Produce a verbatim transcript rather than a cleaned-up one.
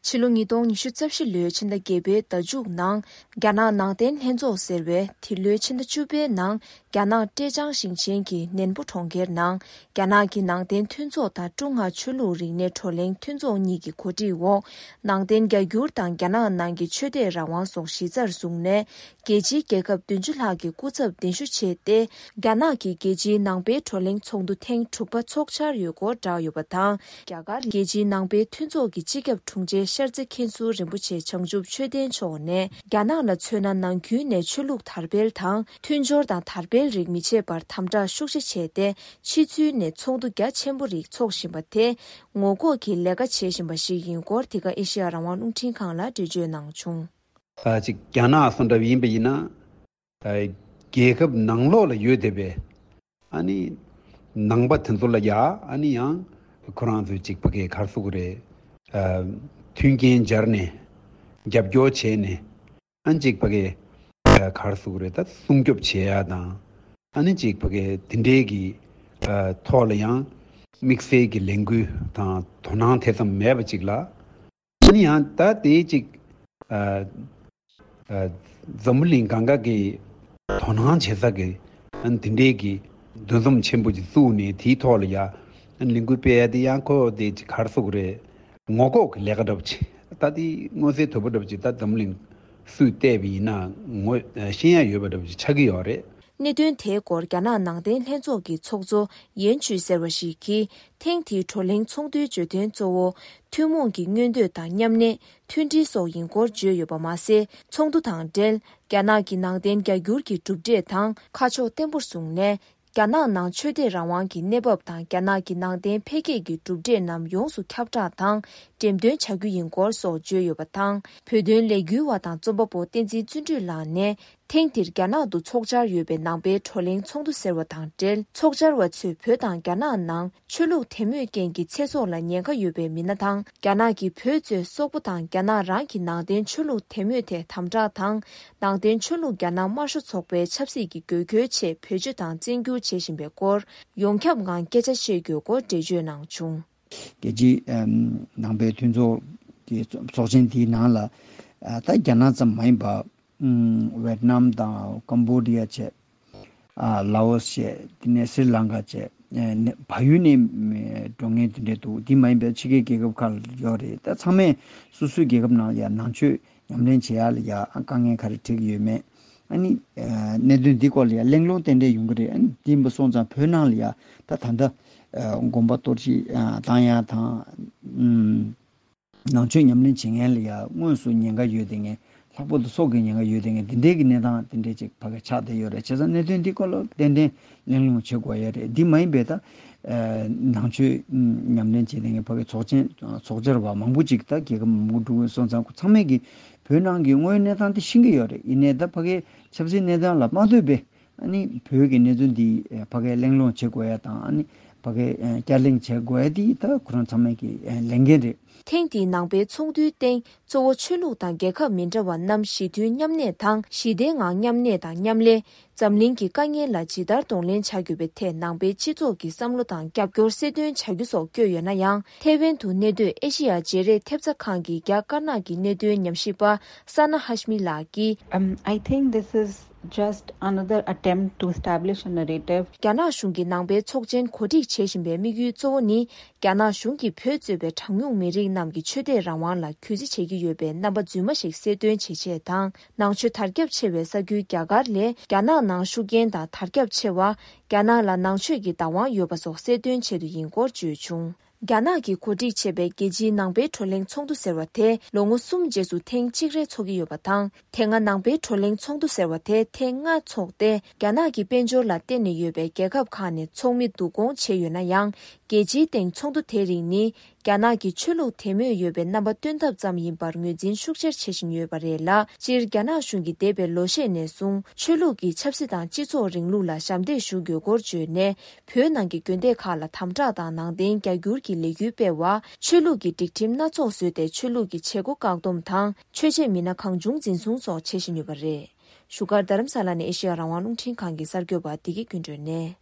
ཕྱི་ལོ་ཉིས་སྟོང་ཉི་ཤུ་རྩ་བཞི་ལོའི་ཕྱི་ཟླ་བརྒྱད་པའི་ཟླ་མཇུག་ནང་རྒྱ་ནག་ནང་བསྟན་ལྷན་ཚོགས་ཟེར་བས་དེ་ལོའི་ཕྱི་ཟླ་བཅུ་པའི་ནང་རྒྱ་ནག་ཀྲེ་ཅང་ཞིང་ཆེན་གྱི་ནན་པོ་གྲོང་ཁྱེར་ནང་རྒྱ་ནག་གི་ནང་བསྟན་མཐུན་ཚོགས་དང་ཀྲུང་ཧྭ་ཆོས་ལུགས་རིག་གནས་བགྲོ་གླེང་མཐུན་ཚོགས་གཉིས་ཀྱི་གོ་སྒྲིག་འོག་ནང་བསྟན་རྒྱ་སྒྱུར་དང་རྒྱ་ནག་ནང་གི་ཆོས་དད་རང་དབང་སོགས་གཞི་རྩར་བཟུང་ནས། རྒྱལ་སྤྱིའི་རྒྱལ་ཁབ་བདུན་ཅུ་ལྷག་གི་སྐུ་ཚབ་གདན་ཞུ་བྱས་ཏེ། རྒྱ་ནག་གིས་རྒྱལ་སྤྱིའི་ནང་པའི་བགྲོ་གླེང་ཚོགས་འདུ་ཐེངས་དྲུག་པ་འཚོགས་འཆར་ཡོད་སྐོར་བསྒྲགས་ཡོད་པ་དང་། རྒྱ་གར་རྒྱལ་སྤྱིའི་ནང་པའི་མཐུན་ཚོགས་ཀྱི་སྤྱི་ཁྱབ་དྲུང་ཆེ་ཤར་རྩེ་མཁན་ཟུར་རིན་པོ་ཆེ་བྱང་ཆུབ་ཆོས་ལྡན་མཆོག་ནས། རྒྱ་ནག་ལ་མཚོན་ན་ནང་ཁུལ་ནས་ཆོས་ལུགས་དར་སྤེལ་དང་མཐུན་སྦྱོར་དང་དར་སྤེལ་རིགས་མི་བྱེད་པར་དམ་དྲག་ཤུགས་ཆེ་བྱས་ཏེ། ཕྱི་ཚུལ་ནས་ཚོགས་འདུ་རྒྱ་ཆེན་པོ་རིགས་འཚོགས་བཞིན་པ་དེ་ངོ་ལྐོག་གི་ལས་ཀ་བྱེད་བཞིན་པ་ཞིག་ཡིན་སྐོར་འདི་ག་ཨེ་ཤེ་ཡ་རང་དབང་རླུང་འཕྲིན་ཁང་ལ་འགྲེལ་བརྗོད་གནང་བྱུང་། ཨ་ཅིག་རྒྱ་ནག་སོགས་འདྲ་བ་ཡིན་པ་ཡིན་ན། ཨ་རྒྱལ་ཁབ་ནང་ལོགས་ལ་ཡོད་བསྡད་པའི་ཨ་ནི་ནང་པ་དེ་ཚོ་ལ་ཡ་ཨ་ནི་ཡང་ཁོ་རང་ཚོས་ཅིག་ཕ་གི་ག་རེ་ཟེར་དགོས་རེད། ཨ་མཐུན་རྐྱེན་སྦྱར་ནས་རྒྱབ་སྐྱོར་བྱས་ནས་ཨ་ནི་ཅིག་ཕ་གི་ཨ་ག་རེ་ཟེར་དགོས་རེད། ད་སྲུང་སྐྱོབ་བྱེད་ཡ་དང་ཨ་ནི་ཅིག་ཕ་གི་དེ་འདྲའི་གི་ཨ་ཐོག་ལ་ཡང་དམིགས་བསལ་གྱི་ལས་འགུལ་དང་དོ་སྣང་དེ་ཙམ་མེད་པ་ཅིག་ལ། ཨ་ནི་ཡང་ད་དེའི་ཅིག་ཨ་ཨ་འཛམ་བུ་གླིང་གང་ག་གི་དོ་སྣང་བྱེད་ས་གི་ཨ་ནི་དེ་འདྲའི་གི་འདུ་འཛོམས་ཆེན་པོ་ཅིག་བཙུགས་ནས་དེའི་ཐོག་ལ་ཡ་ཨ་ནི་ལས་འགུལ་སྤེལ་ཡ་དེ་ཡང་ཁོ་དེ་ཅིག་ག་རེ་ཟེར་དགོས་རེད། ངོ་ལྐོག་གི་ལས་ཀ་འདྲ་པོ་ཅིག་ད་དེ་མངོན་གསལ་དོད་པོ་འདྲ་པོ་ཅིག་ད་འཛམ་བུ་གླིང་སུས་བལྟས་པ་ཡིན་ན་ངོ་ཤེས་ཡ་ཡོད་པ་འདྲ་པོ་ཅིག་ཆགས་ཀྱི་ཡོད་རེད། གནད་དོན་དེའི་སྐོར་རྒྱ་ནག་ནང་བསྟན་ལྷན་ཚོགས་ཀྱི་ཚོགས་གཙོ་ཡན་ཆུས་ཟེར་བ་ཞིག་གིས། ཐེངས་འདིའི་བགྲོ་གླེང་ཚོགས་འདུའི་བརྗོད་དོན་གཙོ་བོ། ཐུན་མོང་གི་མངོན་འདོད་དང་མཉམ་གནས། མཐུན་སྒྲིལ་སོགས་ཡིན་སྐོར་བརྗོད་ཡོད་པ་མ་ཟད། ཚོགས་འདུ་དང་འབྲེལ། རྒྱ་ནག་གི་ནང་བསྟན་རྒྱ་སྒྱུར་གྱི་གྲུབ་འབྲས་དང་ཁ་ཕྱོགས་བརྟན་པོར་བཟུང་ནས། རྒྱ་ནག་ནང་ཆོས་དད་རང་དབང་གི་གནས་བབ་དང་། རྒྱ་ནག་གི་ནང་བསྟན་འཕེལ་རྒྱས་ཀྱི་གྲུབ་འབྲས་རྣམས་ཡོངས་སུ་ཁྱབ་བསྒྲགས་དང་འགྲེམས་སྟོན་བྱ་རྒྱུ་ཡིན་སྐོར་སོགས་བརྗོད་ཡོད་པ་དང་། བོད་དོན་ལས་འགུལ་བ་དང་རྩོམ་པ་པོ་བསྟན་འཛིན་བརྩོན་འགྲུས་ལགས་ནས། ཐེངས་འདིར་རྒྱ་ནག་ཏུ་འཚོགས་འཆར་ཡོད་པའི་ནང་པའི་བགྲོ་གླེང་ཚོགས་འདུ་ཟེར་བ་དང་འབྲེལ། ཚོགས་བཅར་བ་ཚོས་བོད་དང་རྒྱ་ནག་ནང་ཆོས་ལུགས་དད་མོས་རྐྱེན་གྱིས་ཚེ་སྲོག་ལ་ཉེན་ཁ་ཡོད་པའི་མི་སྣ་དང་། རྒྱ་ནག་གིས་བོད་གཙོས་སོག་པོ་དང་རྒྱ་ནག་རང་གི་ནང་བསྟན་ཆོས་ལུགས་དད་མོས་ཐད་དམ་དྲག་དང་། ནང་བསྟན་ཆོས་ལུགས་རྒྱ་ནག་དམར་ཤོག་ཚོགས་པའི་ཆབ་སྲིད་ཀྱི་དགོས་མཁོའི་ཆེད་བེད་སྤྱོད་དང་བཙན་སྒྱུར་བྱེད་བཞིན་པའི་སྐོར་ཡོངས་ཁྱབ་ངང་སྐད་ཆ་བཤད་དགོས་སྐོར་འགྲེལ་བརྗོད་གནང་བྱུང་། རྒྱལ་སྤྱིའི་ཨམ་ནང་པའི་མཐུན་ཚོགས་ཀྱི་ཚོགས་ཆེན་དེའི་ནང་ལ་ཨ་ད་རྒྱ་ནག་ཙམ་མ་ཡིན་པ། ཨམ་ཝེད་ནམ་དང་ཀམ་བོ་ཌི་ཡ་བཅས། ཨ་ལའོ་སི་བཅས། དེ་ནས་སྲི་ལང་ཀ་བཅས། ཨ་ནི་བལ་ཡུལ་ནས་འགྲོ་མཁན་དེ་འདྲས་འདུག་དེ་མ་ཡིན་པའི་ཕྱི་རྒྱལ་རྒྱལ་ཁབ་ཁག་ལ་ཡོད་རེད། ད་ཚང་མས་སོ་སོའི་རྒྱལ་ཁབ་ནང་ལ་ཡང་ནང་ཆོས་ཉམས་ལེན་བྱེད་ཡག་ལ་ཡང་དཀའ་ངལ་ག་རེ་འཕྲད་ཀྱི་ཡོད་མེད། ཨ་ནི་ཨ་གནད་དོན་འདི་སྐོར་ལ་ཡང་གླེང་སློང་ཏན་ཏན་ཡོང་གི་རེད། ཨ་ནི་དེ་ཡིན་པ་སོང་ཙང་བོད་ནང་ལ་ཡང་ད་ད་ལྟ་ཨ་དགོན་པ་གཏོར་བཤིག་ཨ་བཏང་ཡག་དང་། ཨམ། ནང་ཆོས་ཉམས་ལེན་བྱེད་མཁན་ལ་ཡང་དངོས་སུ་ཉེན་ཁ་ཡོད་བསྡད་མཁན། ལྷག་པར་དུ་སྲོག་གི་ཉེན་ཁ་ཡོད་བསྡད་མཁན་འདི་འདྲའི་གི་གནས་སྟངས་དེ་འདྲའི་ཅིག་ཕ་གི་ཆགས་བསྡད་ཡོད་རེད། བྱས་ཙང་གནད་དོན་འདི་སྐོར་ལ་ཏན་ཏན་གླེང་སློང་བྱེད་དགོས་ཡ་རེད། འདི་མ་ཡིན་པའི་ད་ནང་ཆོས་ཉམས་ལེན་བྱེད་བསྡད་མཁན་ཕ་གི་ཚོགས་ཆེན་ཚོགས་བཅར་བ་མང་པོ་ཅིག་ད་རྒྱལ་ཁབ་མང་པོ་འགྲོ་གི་སོང་ཙང་ཁོ་ཚང་མས་གི་བོད་ནང་གི་དངོས་ཡོད་གནས་སྟངས་དེ་ཤེས་ཀྱི་ཡོད་རེད། ཡིན་ནའི་ད་ཕ་གི་ཆབ་སྲིད་གནས་སྟངས་ལ་མ་ལྟོས་པའི། ཨ་ནི་བོད་ཀྱི་གནས་ཚུལ་འདི་ཕ་གིར་གླེང་སློང་བྱེད་དགོས་ཡ་དང་། ཨ་ནི་ཕ་གིར་བསྐྱར་གླེང་བྱེད་དགོས་ཡ་འདི་ད་ཁོ་རང་ཚང་མས་ཀྱི་ལས་འགན་རེད། ཐེངས་འདིའི་ནང་པའི་ཚོགས་འདུའི་སྟེང་གཙོ་བོ་ཆོས་ལུགས་དང་རྒྱལ་ཁབ་མི་འདྲ་བ་རྣམས་ཞི་མཐུན་མཉམ་གནས་དང་། ཞི་བདེའི་ངང་མཉམ་གནས་དང་མཉམ་ལས། འཛམ་གླིང་གི་དཀའ་ངལ་ལ་ཇི་ལྟར་གདོང་ལེན་བྱ་དགོས་པའི་ཐད་ནང་པའི་སྤྱི་ཚོགས་ཀྱི་བསམ་བློ་དང་རྒྱབ་སྐྱོར་གསལ་སྟོན་བྱ་རྒྱུ་སོགས་བཀོད་ཡོད་ན་ཡང་། ཐེ་ཝན་དུ་གནས་སྡོད་ཨེ་ཤེ་ཡ་བརྗེ་རེས་ཐེབས་རྩ་ཁང་གི་རྒྱ་དཀར་ནག་གི་གནད་དོན་ཉམས་ཞིབ་པ་ས་ན་ཧ་ཤ་མི་ལགས་ཀྱིས། Um, I think this is just another attempt to establish a narrative. རྒྱ་ནག་གཞུང་གིས་ནང་པའི་ཚོགས་ཆེན་གོ་སྒྲིག་བྱེད་བཞིན་པའི་དམིགས་ཡུལ་གཙོ་བོ་ནི། རྒྱ་ནག་གཞུང་གིས་བོད་གཙོས་པའི་གྲངས་ཉུང་མི་རིགས་རྣམས་ཀྱི་ཆོས་དད་རང་དབང་ལ་གུས་བརྩི་བྱེད་ཀྱི་ཡོད་པའི་རྣམ་པ་རྫུན་མ་ཞིག་གསལ་སྟོན་བྱེད་ཆེད་དང་། ནང་ཆོས་དར་ཁྱབ་ཆེ་བའི་ས་ཁུལ་རྒྱ་གར་ལས་རྒྱ་ནག་ནང་ཤུགས་རྐྱེན་དང་དར་ཁྱབ་ཆེ་བ། རྒྱ་ནག་ལ་ནང་ཆོས་ཀྱི་བདག་དབང་ཡོད་པ་སོགས་གསལ་སྟོན་ཆེད་དུ་ཡིན་སྐོར་བརྗོད་བྱུང་། རྒྱ་ནག་གིས་གོ་སྒྲིག་བྱས་པའི་རྒྱལ་སྤྱིའི་ནང་པའི་བགྲོ་གླེང་ཚོགས་འདུ་ཟེར་བ་དེ་ལོ་ངོ་གསུམ་རྗེས་སུ་ཐེངས་གཅིག་རེ་འཚོགས་ཀྱི་ཡོད་པ་དང་། དེ་སྔ་ནང་པའི་བགྲོ་གླེང་ཚོགས་འདུ་ཟེར་བ་དེ་ཐེངས་ལྔ་འཚོགས་ཏེ། རྒྱ་ནག་གི་དཔལ་འབྱོར་ལ་བརྟེན་ནས་ཡོད་པའི་རྒྱལ་ཁབ་ཁག་ནས་ཚོགས་མི་བསྡུ་སྐོང་བྱས་ཡོད་ན་ཡང་། རྒྱལ་སྤྱིའི་སྟེང་ཚོགས་འདུ་དེ་རིགས་ནི། རྒྱ་ནག་གི་ཆོས་ལུགས་དད་མོས་ཡོད་པའི་རྣམ་པ་སྟོན་ཐབས་ཙམ་ཡིན་པར་ངོས་འཛིན་ཤུགས་ཆེར་བྱེད་བཞིན་ཡོད་པ་རེད་ལ། སྤྱིར་རྒྱ་ནག་གཞུང་གིས་འདས་པའི་ལོ་ཤས་ནས་བཟུང་ཆོས་ལུགས་ཀྱིས་ཆབ་སྲིད་དང་སྤྱི་ཚོགས་རིང་ལུགས་ལ་ཞབས་འདེགས་ཞུ་དགོས་སྐོར་བརྗོད་ནས། བོད་ནང་གི་དགོན་སྡེ་ཁག་ལ་དམ་དྲག་དང་ནང་བསྟན་རྒྱ་སྒྱུར་གྱི་ལས་འགུལ་སྤེལ་བ། ཆོས་ལུགས་ཀྱི་སྒྲིག་ཁྲིམས་སྣ་ཚོགས་བཟོས་ཏེ་ཆོས་ལུགས་ཀྱི་བྱེད་སྒོ་བཀག་སྡོམ་དང་། ཆོས་བྱེད་མི་སྣ་གང་བྱུང་འཛིན་བཟུང་སོགས་བྱེད་བཞིན་ཡོད་པ་རེད། བཞུགས་སྒར་རྡ་རམ་ས་ལ་ནས་ཨེ་ཤེ་ཡ་རང་དབང་རླུང་འཕྲིན་ཁང་གི་གསར་འགོད་པ་བདེ་སྐྱིད་ཀུན་སྒྲོན་ནས།